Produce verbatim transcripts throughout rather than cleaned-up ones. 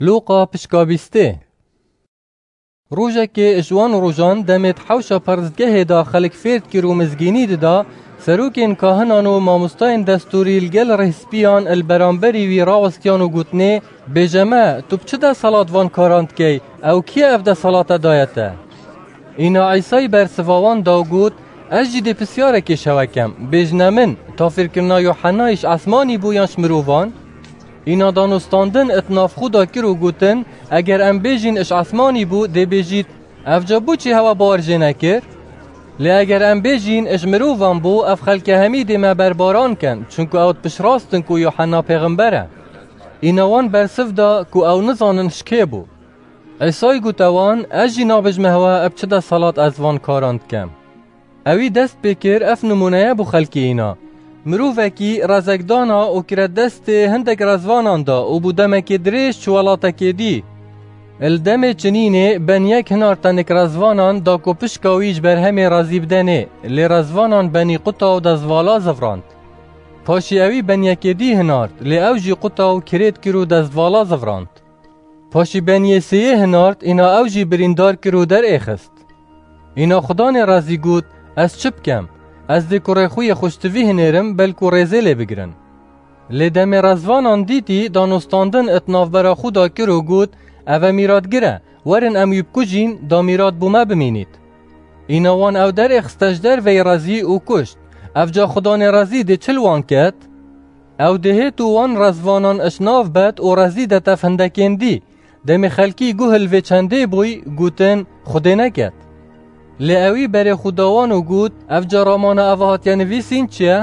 Lûqa pişka bîstê. Rojekê ji wan rojan demê di hewşa peristgehê de xelk fêr dikir û mizgînî dida, serokên kahinan û mamostayên destûrî li gel rêhspiyan li beramberî wî rawestiyan û gotinê, "Bêje me, tu bi çi desalat van karan dikey? Ew kî ye ev desalate daye te?" Îna Îsay bersiva wan da û got, "Ez jî dê pisyarekê ji hewe kem. Bêjine min, tafîrkirina Yohennayê ji esmanî bû yan ji mirovan?" Îna danûstandin di nav xwe da kir û gotin, "Eger em bêjîn ji esmanî bû, dê bêjît, 'Ev ca bo çi hewa bawer jê nekir?' Lê eger em bêjîn, 'Ji mirovan bû', ev xelke hemî dê me berbaran ken, çunku ew dipişirastin ku Yohanna pêxember e." Îna wan bersiv da ku ew nizanin ji kê bû. Îsay gote wan, "Ez jî nabêjime hewa bi çi desalat ez van karan dikem." Ewî dest pê kir, ev nimûneye bo xelkê îna. Mirovekî rezek dana û kire destê hindek rezvanan da û bo demekê dirêj çû welatekê dî. Li demê çinînê ben yek hinar tenik rezvanan da ku pişka wî ji berhemê rezî bidenê, lê rezvanan benî quta û dezvala zivrand. Paşî ewî ben yekê dî hinart, lê ew jî quta û kirêt kir û dezvala zivrand. Paşî ben yê sêyê hinart, îna ew jî birîndar kir û derêxist. Îna Xudanê rezî got, "Ez çi bikem? Ez dê kurê xwe yê xweştivî hinêrim, belkû rêzê lê bigirin." Lê demê rezvanan dîtî, danûstandin di navbera xwe da kir û got, "Ev e mîratgir e, werin em wî bikujîn, da mîrat bo me bimînît." Îna wan ew derêxiste ji derveyî rezî û kuşt. Ev ca Xudanê rezî dê çi li wan ket? Ew dê hêt û wan rezvanan ji nav bet û rezî de tev hindekên dî. Demê xelkî guh li vê çendê bûy, gotin, "Xwedê neket." Lê ewî berê xwe da wan û got, "Ev ca ramana eva hatiye nivîsîn çi ye?"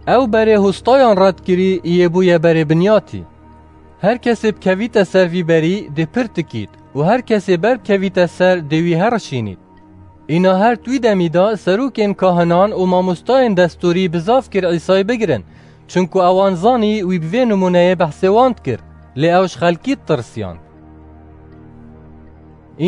Ew berê hostayan red kirî, yê bûye berê binyatî. Her kesê bikevîte ser vî berî, dê pir tikît û her kesê ber bikevîte ser, dê wî herişînît. Îna her di wî demî de serokên kahinan û mamostayên destûrî bizav kir Îsay bigirin, çunku ewan zanî wî bi vê nimûneyê behsê wan dikir, lê ew ji xelkî ditirsiyan.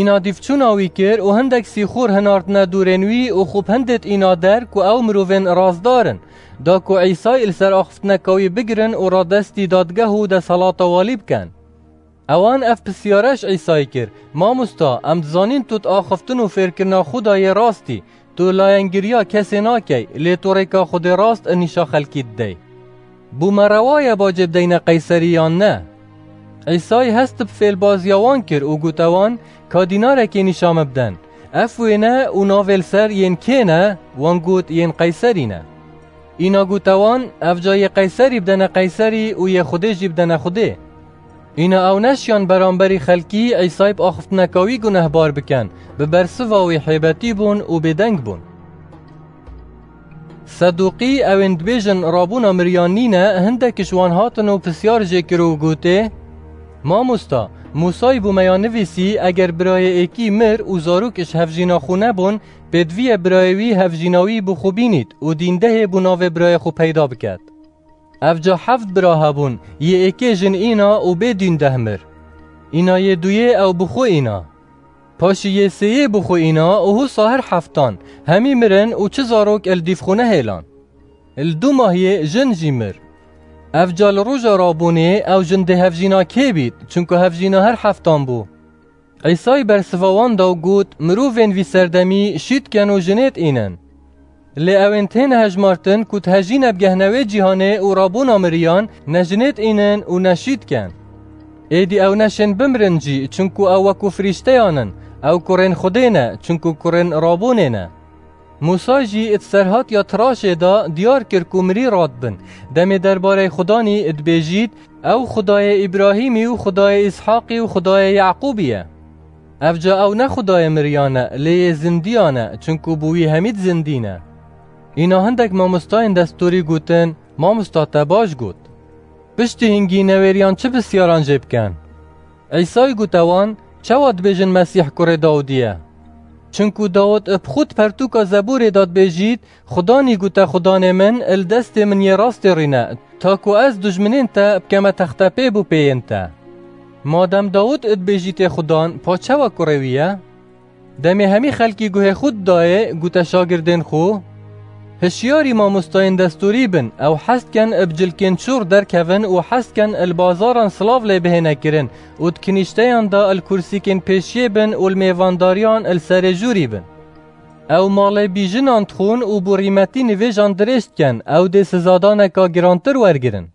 Îna dîvçûna wî kir û hindek sîxor hinartine dûrên wî û xwe bi hindêt îna der ku ew mirovên rastdar in, da ku Îsay li ser axiftineka wî bigirin û radestî dadgeh û desalata walî bikin. Ewan ev pisyare ji Îsayî kir, "Mamosta, em dizanîn tu di axiftin û fêrkirina xwe de yê rastî, tu layengiriya kesê nakey, lê tu rêka Xwedê rast û nîşa xelkî didey. Bo me rewa ye bacê bideyne Qeyserî yan ne?" Îsayî hest bi fêlbaziya wan kir û gote wan, "Ka dînarekê nîşa min biden. Ev wêne û navê li ser yên kê ne?" Wan got, "Yên Qeyserî ne." Îna gote wan, "Ev ca yê Qeyserî bidene Qeyserî û yê Xwedê jî bidene Xwedê." Îna ew neşiyan beramberî xelkî Îsay bi axiftineka wî gunehbar bikin, bi bersiva wî hêbetî bûn û bêdeng bûn. Sedûqî, ewên dibêjin rabûna miriyan nîne, hindek ji wan hatin û pisyar jê kir û gotê, "Mamosta, Mûsayî bo me ya nivîsî, eger birayê êkî mir û zarok ji hevjîna xwe nebûn, pêdivî ye birayê wî hevjîna wî bo xwe bînît û dîndehê bo navê birayê xwe peyda biket. Ev ca heft bira hebûn, yê êkê jin îna û bê dîndeh mir. Îna yê duyê ew bi xwe îna. Paşî yê sêyê bi xwe îna û husa her heftan, hemî mirin û çi zarok li dîv xwe nehêlan. Li du mahiyê jin jî mir. Ev ca li roja rabûnê ew jin dê hevjîna kê bît, çunku hevjîna her heftan bû." Îsay bersiva wan da û got, "Mirovên vî serdemî şît ken û jinêt înin. Lê ewên têne hejmartin ku dihejîne bigehne wê cîhanê û rabûna miriyan, ne jinêt înin û ne şît ken. Êdî ew neşên bimrin jî, çunku ew wekû firîşteyan in, ew kurên Xwedê ne, çunku kurên rabûnê ne." Mûsa jî di serhatiya tiraşê de diyar kir ku mirî radibin, demê derbarê Xudanî dibêjît, "Ew Xudayê Îbrahîmî û Xudayê Îshaqî û Xudayê Yaqûbî ye." Ev ca ew ne Xudayê miriyan e, lê yê zindiyan e, çunku bo wî hemî di zindî ne. Îna hindek mamostayên destûrî gotin, "Mamosta, te baş got. Piştî hingî newêriyan çi pisyaran jê bikin?" Îsay gote wan, "Çawa dibêjin Mesîh kurê Dawidî ye? Çunku Dawid bi xwe di pertûka Zebûrê de dibêjît, 'Xudanî gote Xudanê min, li destê min yê rastê rîne, ta ku ez dujminên te bikeme textepê bo pêyên te.' Madem Dawid dibêjîtê Xudan, pa çawa kurê wî ye?" Demê hemî xelkî guhê xwe didayê, gote şagirdên xwe, Hişyarî mamostayên destûrî bin, ew hez dikin bi cilkên çûr derkevin û hez dikin li bazaran silav lê bihêne kirin û di kinîşteyan de li kursîkên pêşiyê bin û li mêvandariyan li serê jûrî bin. Ew malê bîjinan dixwin û bi rîmetî nivêjan dirêj dikin, ew dê sizadaneka girantir wergirin.